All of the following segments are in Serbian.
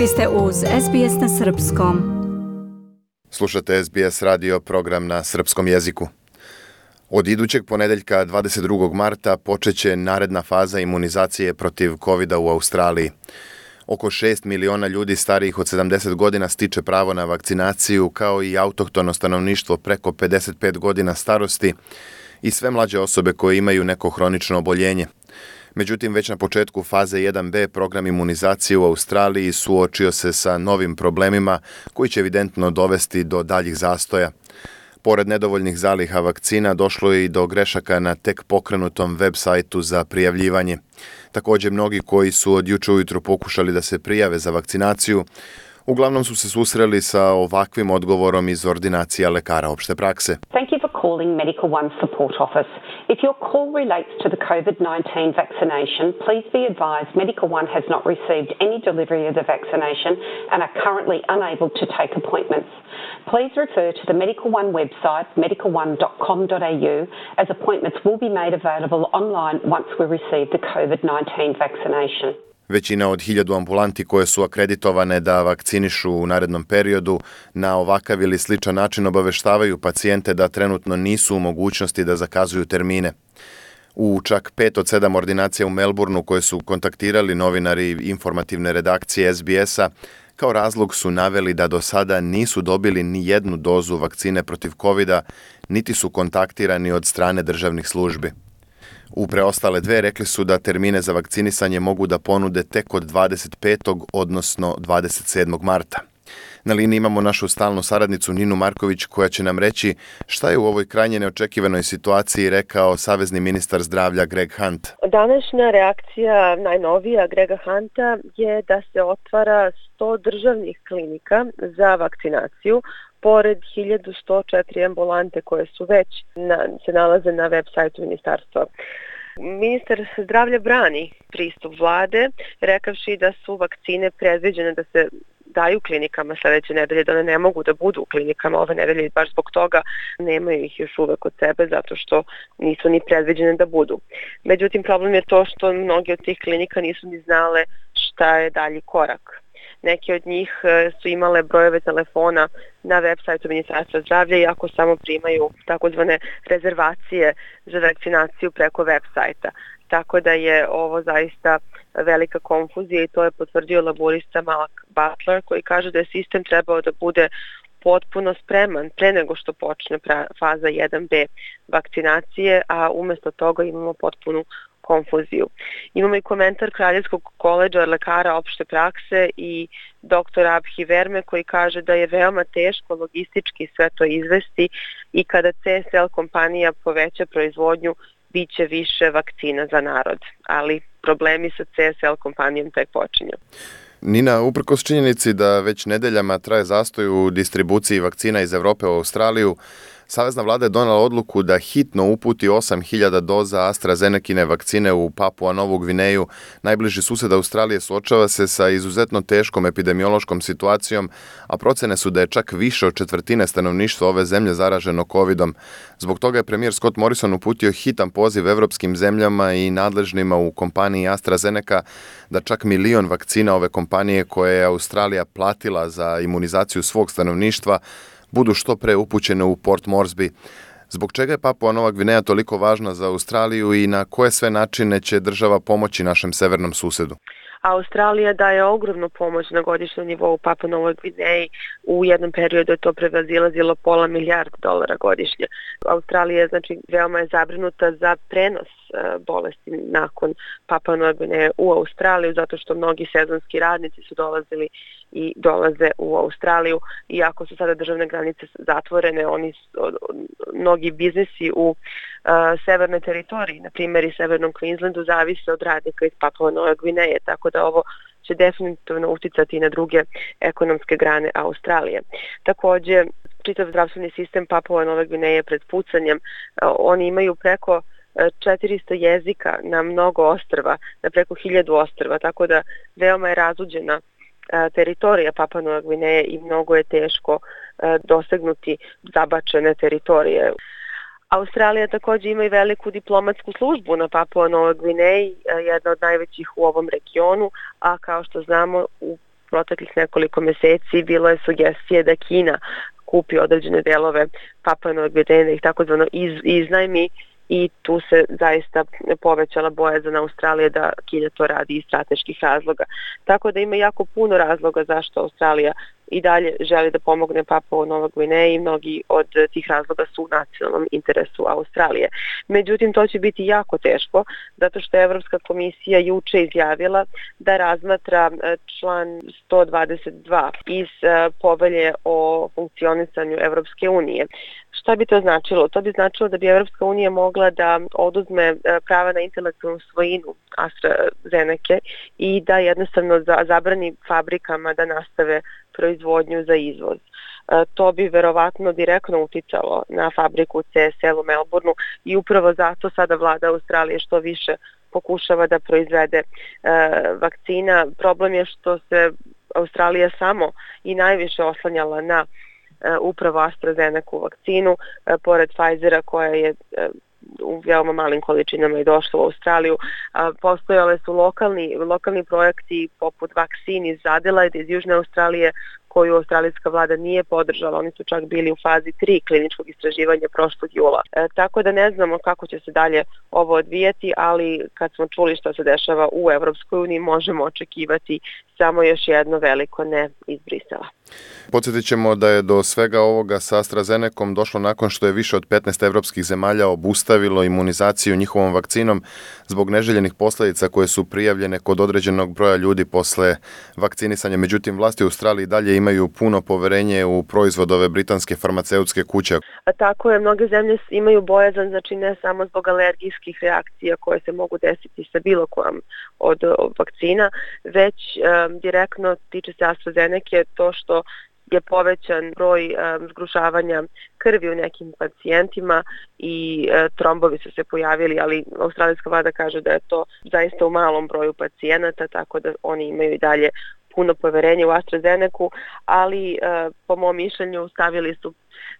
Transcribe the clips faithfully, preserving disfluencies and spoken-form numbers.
Vi ste uz S B S na srpskom. Slušate S B S radio program na srpskom jeziku. Od idućeg ponedeljka dvadeset drugog marta počeće naredna faza imunizacije protiv kovida u Australiji. Oko šest miliona ljudi starijih od sedamdeset godina stiče pravo na vakcinaciju, kao i autohtono stanovništvo preko pedeset pet godina starosti i sve mlađe osobe koje imaju neko hronično oboljenje. Međutim, već na početku faze jedan B program imunizacije u Australiji suočio se sa novim problemima koji će evidentno dovesti do daljih zastoja. Pored nedovoljnih zaliha vakcina došlo je i do grešaka na tek pokrenutom web sajtu za prijavljivanje. Također, mnogi koji su od juče ujutro pokušali da se prijave za vakcinaciju, uglavnom su se susreli sa ovakvim odgovorom iz ordinacija lekara opšte prakse. Thank you for calling Medical One Support Office. If your call relates to the COVID nineteen vaccination, please be advised Medical One has not received any delivery of the vaccination and are currently unable to take appointments. Please refer to the Medical One website, medical one dot com dot a u, as appointments will be made available online once we receive the COVID nineteen vaccination. Većina od hiljadu ambulanti koje su akreditovane da vakcinišu u narednom periodu na ovakav ili sličan način obaveštavaju pacijente da trenutno nisu u mogućnosti da zakazuju termine. U čak pet od sedam ordinacija u Melbourneu koje su kontaktirali novinari informativne redakcije S B S-a, kao razlog su naveli da do sada nisu dobili ni jednu dozu vakcine protiv kovida, niti su kontaktirani od strane državnih službi. U preostale dve rekli su da termine za vakcinisanje mogu da ponude tek od dvadeset petog odnosno dvadeset sedmog marta. Na liniji imamo našu stalnu saradnicu Ninu Marković koja će nam reći šta je u ovoj krajnje neočekivanoj situaciji rekao savezni ministar zdravlja Greg Hunt. Današnja reakcija najnovija Grega Hunta je da se otvara sto državnih klinika za vakcinaciju, pored hiljadu sto četiri ambulante koje su već na, se nalaze na web sajtu ministarstva. Ministar zdravlja brani pristup vlade, rekavši da su vakcine predviđene da se daju klinikama sledeće nedelje, da one ne mogu da budu u klinikama ove nedelje i baš zbog toga nemaju ih još uvek od sebe zato što nisu ni predviđene da budu. Međutim, problem je to što mnogi od tih klinika nisu ni znale šta je dalji korak. Neki od njih su imale brojeve telefona na web sajtu Ministarstva zdravlja iako samo primaju takozvane rezervacije za vakcinaciju preko web sajta. Tako da je ovo zaista velika konfuzija i to je potvrdio laborista Malak Butler koji kaže da je sistem trebao da bude potpuno spreman pre nego što počne faza jedan B vakcinacije, a umjesto toga imamo potpunu konfuziju. Imamo i komentar Kraljevskog koledža lekara opšte prakse i doktor Abhi Verme koji kaže da je veoma teško logistički sve to izvesti i kada C S L kompanija poveća proizvodnju bit će više vakcina za narod, ali problemi sa C S L kompanijom tek počinju. Nina, uprkos činjenici da već nedeljama traje zastoj u distribuciji vakcina iz Evrope u Australiju, savezna vlada je donela odluku da hitno uputi osam hiljada doza AstraZenecine vakcine u Papua Novu Gvineju. Najbliži sused Australije suočava se sa izuzetno teškom epidemiološkom situacijom, a procene su da je čak više od četvrtine stanovništva ove zemlje zaraženo covidom. Zbog toga je premijer Scott Morrison uputio hitan poziv evropskim zemljama i nadležnima u kompaniji AstraZeneca da čak milion vakcina ove kompanije koje je Australija platila za imunizaciju svog stanovništva budu što pre upućene u Port Moresby. Zbog čega je Papua Nova Gvineja toliko važna za Australiju i na koje sve načine će država pomoći našem severnom susedu? Australija daje ogromnu pomoć na godišnjem nivou Papua Novoj Gvineji. U jednom periodu je to prevazilazilo pola milijarda dolara godišnje. Australija znači veoma je zabrinuta za prenos bolesti nakon Papua Nove Gvineje u Australiju zato što mnogi sezonski radnici su dolazili i dolaze u Australiju. Iako su sada državne granice zatvorene, oni mnogi biznisi u uh, severnoj teritoriji, na primjer i severnom Queenslandu, zavise od radnika iz Papua Nove Gvineje, tako da ovo će definitivno uticati i na druge ekonomske grane Australije. Također, čitav zdravstveni sistem Papua Nove Gvineje pred pucanjem, uh, oni imaju preko četiristo jezika na mnogo ostrva, na preko hiljadu ostrva, tako da veoma je razuđena teritorija Papua Nove Gvineje i mnogo je teško dosegnuti zabačene teritorije. Australija također ima i veliku diplomatsku službu na Papua Novoj Gvineji, jedna od najvećih u ovom regionu, a kao što znamo u proteklih nekoliko meseci bilo je sugestije da Kina kupi određene delove Papue Nove Gvineje, da ih takozvano iz, iznajmi, i tu se zaista povećala bojazan Australije da Kina to radi iz strateških razloga. Tako da ima jako puno razloga zašto Australija i dalje želi da pomogne Papua Nova Gvineja i mnogi od tih razloga su u nacionalnom interesu Australije. Međutim, to će biti jako teško, zato što je Evropska komisija juče izjavila da razmatra član sto dvadeset dva iz povelje o funkcionisanju Evropske unije. Šta bi to značilo? To bi značilo da bi Evropska unija mogla da oduzme prava na intelektualnu svojinu AstraZeneca i da jednostavno zabrani fabrikama da nastave proizvodnju za izvoz. To bi verovatno direktno uticalo na fabriku C S L u Melbourneu i upravo zato sada vlada Australije što više pokušava da proizvede e, vakcina. Problem je što se Australija samo i najviše oslanjala na e, upravo AstraZeneca vakcinu, e, pored Pfizera koja je e, u veoma malim količinama je došlo u Australiju. Postojale su lokalni, lokalni projekti poput vakcin iz Adelaide, iz Južne Australije, koju australijska vlada nije podržala. Oni su čak bili u fazi tri kliničkog istraživanja prošlog jula. E, tako da ne znamo kako će se dalje ovo odvijati, ali kad smo čuli što se dešava u Evropskoj uniji, možemo očekivati samo još jedno veliko ne iz Brisela. Podsjetit ćemo da je do svega ovoga sa AstraZenecom došlo nakon što je više od petnaest evropskih zemalja obustavilo imunizaciju njihovom vakcinom zbog neželjenih posljedica koje su prijavljene kod određenog broja ljudi posle vakcinisanja. Međutim, vlasti u Australiji dalje imaju puno poverenje u proizvodove britanske farmaceutske kuće. A tako je, mnoge zemlje imaju bojazan, znači ne samo zbog alergijskih reakcija koje se mogu desiti sa bilo kojom od, od vakcina, već um, direktno tiče se AstraZeneca to što je povećan broj um, zgrušavanja krvi u nekim pacijentima i e, trombovi su se pojavili, ali australijska vlada kaže da je to zaista u malom broju pacijenata, tako da oni imaju i dalje puno poverenja u AstraZeneca, ali e, po mom mišljenju stavili su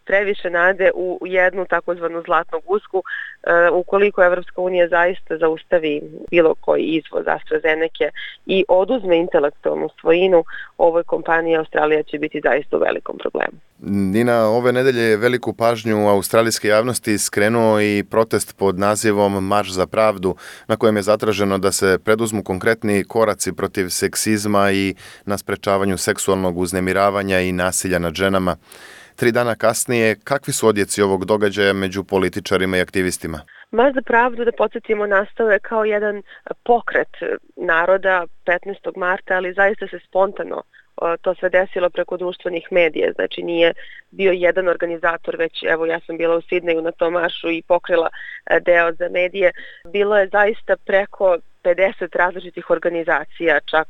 previše nade u jednu takozvanu zlatnu gusku. E, ukoliko Evropska unija zaista zaustavi bilo koji izvoz AstraZeneca i oduzme intelektualnu svojinu ovoj kompaniji, Australija će biti zaista u velikom problemu. Nina, ove nedelje je veliku pažnju australijske javnosti skrenuo i protest pod nazivom Marš za pravdu, na kojem je zatraženo da se preduzmu konkretni koraci protiv seksizma i na sprečavanju seksualnog uznemiravanja i nasilja nad ženama. Tri dana kasnije, kakvi su odjeci ovog događaja među političarima i aktivistima? Marš za pravdu, da podsjetimo, nastao je kao jedan pokret naroda petnaestog marta, ali zaista se spontano to sve desilo preko društvenih medija, znači nije bio jedan organizator, već evo ja sam bila u Sidneju na tom maršu i pokrila deo za medije. Bilo je zaista preko pedeset različitih organizacija, čak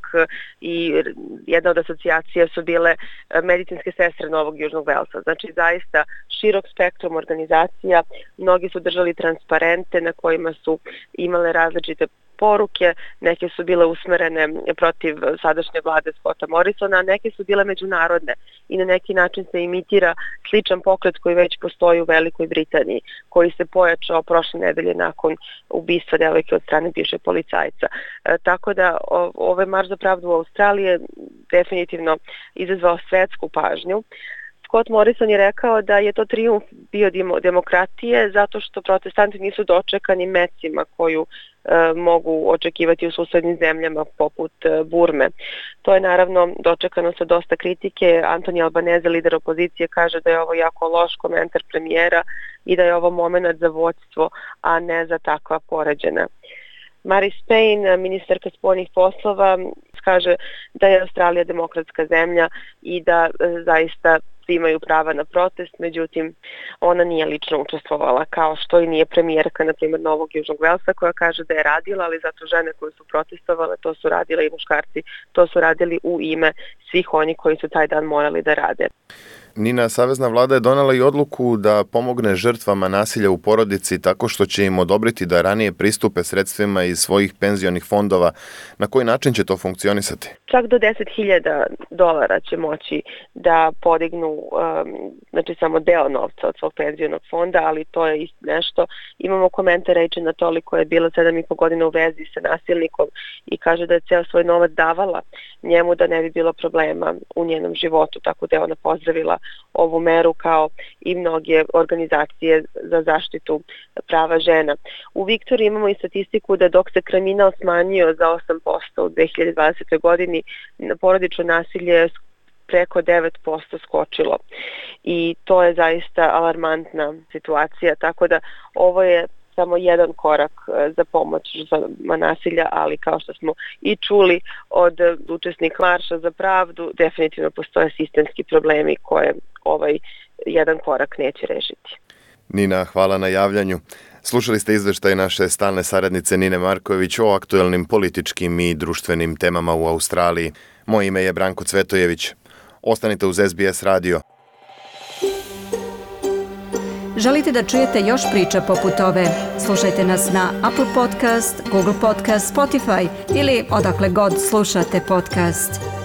i jedna od asocijacija su bile medicinske sestre Novog Južnog Velsa. Znači zaista širok spektrum organizacija, mnogi su držali transparente na kojima su imale različite poruke, neke su bile usmerene protiv sadašnje vlade Scotta Morrisona, a neke su bile međunarodne i na neki način se imitira sličan pokret koji već postoji u Velikoj Britaniji, koji se pojačao prošle nedelje nakon ubistva devojke od strane bivšeg policajca. E, tako da o, ovaj marš za pravdu u Australiji je definitivno izazvao svetsku pažnju. Scott Morrison je rekao da je to trijumf bio demokratije zato što protestanti nisu dočekani mecima koju e, mogu očekivati u susednim zemljama poput e, Burme. To je naravno dočekano sa dosta kritike. Anthony Albanese, lider opozicije, kaže da je ovo jako loš komentar premijera i da je ovo moment za vođstvo, a ne za takva poređenja. Marise Payne, ministarka spoljnih poslova, kaže da je Australija demokratska zemlja i da e, zaista imaju prava na protest, međutim ona nije lično učestvovala, kao što i nije premijerka, na primjer, Novog Južnog Velsa, koja kaže da je radila, ali zato žene koje su protestovale, to su radile i muškarci, to su radili u ime svih oni koji su taj dan morali da rade. Nina, savezna vlada je donela i odluku da pomogne žrtvama nasilja u porodici tako što će im odobriti da ranije pristupe sredstvima iz svojih penzionih fondova. Na koji način će to funkcionisati? Čak do deset hiljada dolara će moći da podignu um, znači samo deo novca od svog penzionog fonda, ali to je isto nešto. Imamo komentar Rachel Natoli koja je bila sedam i po godina u vezi sa nasilnikom i kaže da je ceo svoj novac davala njemu da ne bi bilo problema u njenom životu, tako da je ona pozdravila ovu meru kao i mnoge organizacije za zaštitu prava žena. U Viktoriji imamo i statistiku da dok se kriminal smanjio za osam posto u dve hiljade dvadesetoj godini, porodično nasilje je preko devet posto skočilo i to je zaista alarmantna situacija, tako da ovo je samo jedan korak za pomoć žrtvama nasilja, ali kao što smo i čuli od učesnika Marša za pravdu, definitivno postoje sistemski problemi koje ovaj jedan korak neće rešiti. Nina, hvala na javljanju. Slušali ste izveštaj naše stalne saradnice Nine Marković o aktuelnim političkim i društvenim temama u Australiji. Moje ime je Branko Cvetojević. Ostanite uz S B S radio. Želite da čujete još priča poput ove? Slušajte nas na Apple Podcast, Google Podcast, Spotify ili odakle god slušate podcast.